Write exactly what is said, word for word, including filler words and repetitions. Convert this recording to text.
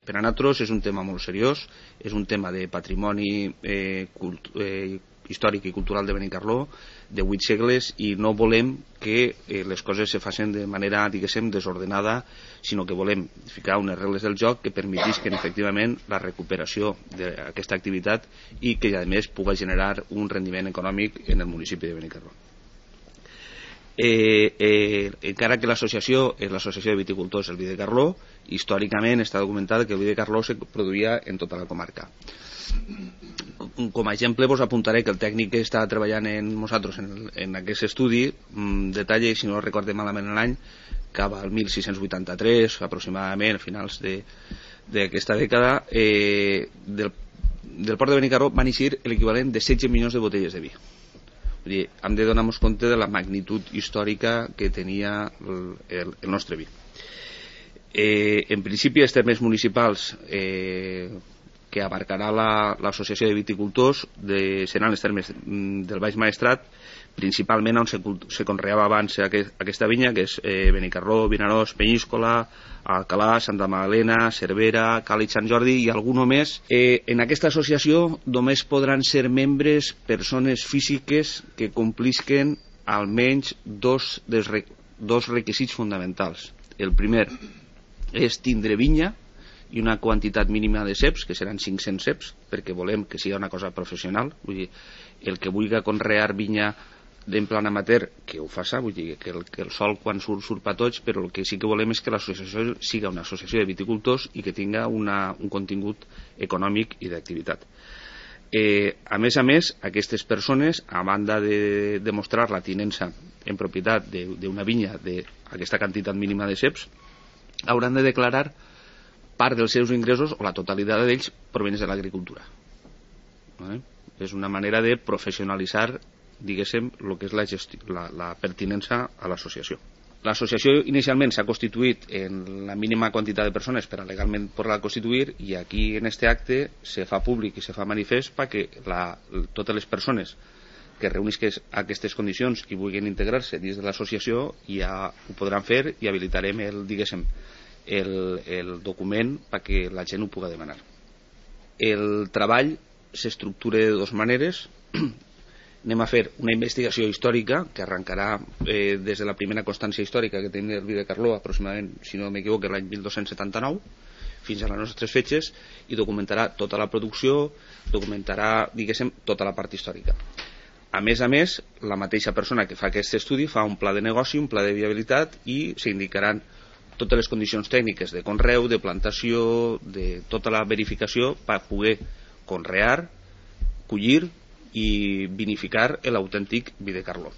Per a nosaltres és un tema molt seriós, és un tema de patrimoni eh, cult eh, històric i cultural de Benicarló, de vuit segles, i no volem que eh, les coses se facin de manera, diguéssim, desordenada, sinó que volem ficar unes regles del joc que permetisquen efectivament la recuperació d'aquesta activitat i que a més pugui generar un rendiment econòmic en el municipi de Benicarló. Eh, eh, encara que l'associació és l'associació de viticultors el Vi de Carló, històricament està documentat que el Vi de Carló se produïa en tota la comarca. Com a exemple vos apuntaré que el tècnic que està treballant en nosaltres en, el, en aquest estudi mmm, detalla, si no recorde malament l'any, cap al mil sis-cents vuitanta-tres aproximadament, a finals d'aquesta dècada, eh, del, del port de Benicarló van eixir l'equivalent de setze milions de botelles de vi. Vull dir, hem de donar-nos compte de la magnitud històrica que tenia el, el, el nostre vi. Eh, en principi, els termes municipals eh, que abarcarà l'associació la, de viticultors de, seran els termes del Baix Maestrat, principalment on se, se conreava abans aquest, aquesta vinya, que és eh, Benicarló, Vinaròs, Penyíscola, Alcalà, Santa Magdalena, Cervera, Càlig, Sant Jordi i alguno més. Eh, en aquesta associació només podran ser membres persones físiques que complisquen almenys dos, dels, dos requisits fonamentals. El primer és tindre vinya i una quantitat mínima de ceps, que seran cinc-cents ceps, perquè volem que sigui una cosa professional. Vull dir, el que vulgui conrear vinya d'en plan amateur, que ho faça, vull dir, que el, que el sol quan surt, surt per tots, però el que sí que volem és que l'associació siga una associació de viticultors i que tinga una, un contingut econòmic i d'activitat. Eh, a més a més, aquestes persones, a banda de demostrar la tinença en propietat d'una vinya d'aquesta quantitat mínima de ceps, hauran de declarar part dels seus ingressos o la totalitat d'ells provenents de l'agricultura. ¿Vale? És una manera de professionalitzar, diguéssim, el que és la, gestió, la, la pertinença a l'associació. L'associació inicialment s'ha constituït en la mínima quantitat de persones per a legalment poder-la constituir, i aquí en este acte se fa públic i se fa manifest perquè la, totes les persones que reunisquen aquestes condicions i vulguin integrar-se dins de l'associació ja ho podran fer i habilitarem el, diguéssim, el, el document perquè la gent ho pugui demanar. El treball s'estructura de dues maneres. Anem a fer una investigació històrica que arrencarà eh, des de la primera constància històrica que tenim el Vi de Carló, aproximadament, si no m'equivoco, l'any mil dos-cents setanta-nou, fins a les nostres fetges, i documentarà tota la producció, documentarà, diguéssim, tota la part històrica. A més a més, la mateixa persona que fa aquest estudi fa un pla de negoci, un pla de viabilitat, i s'indicaran totes les condicions tècniques de conreu, de plantació, de tota la verificació per poder conrear, collir i vinificar l'autèntic Vi de Carló.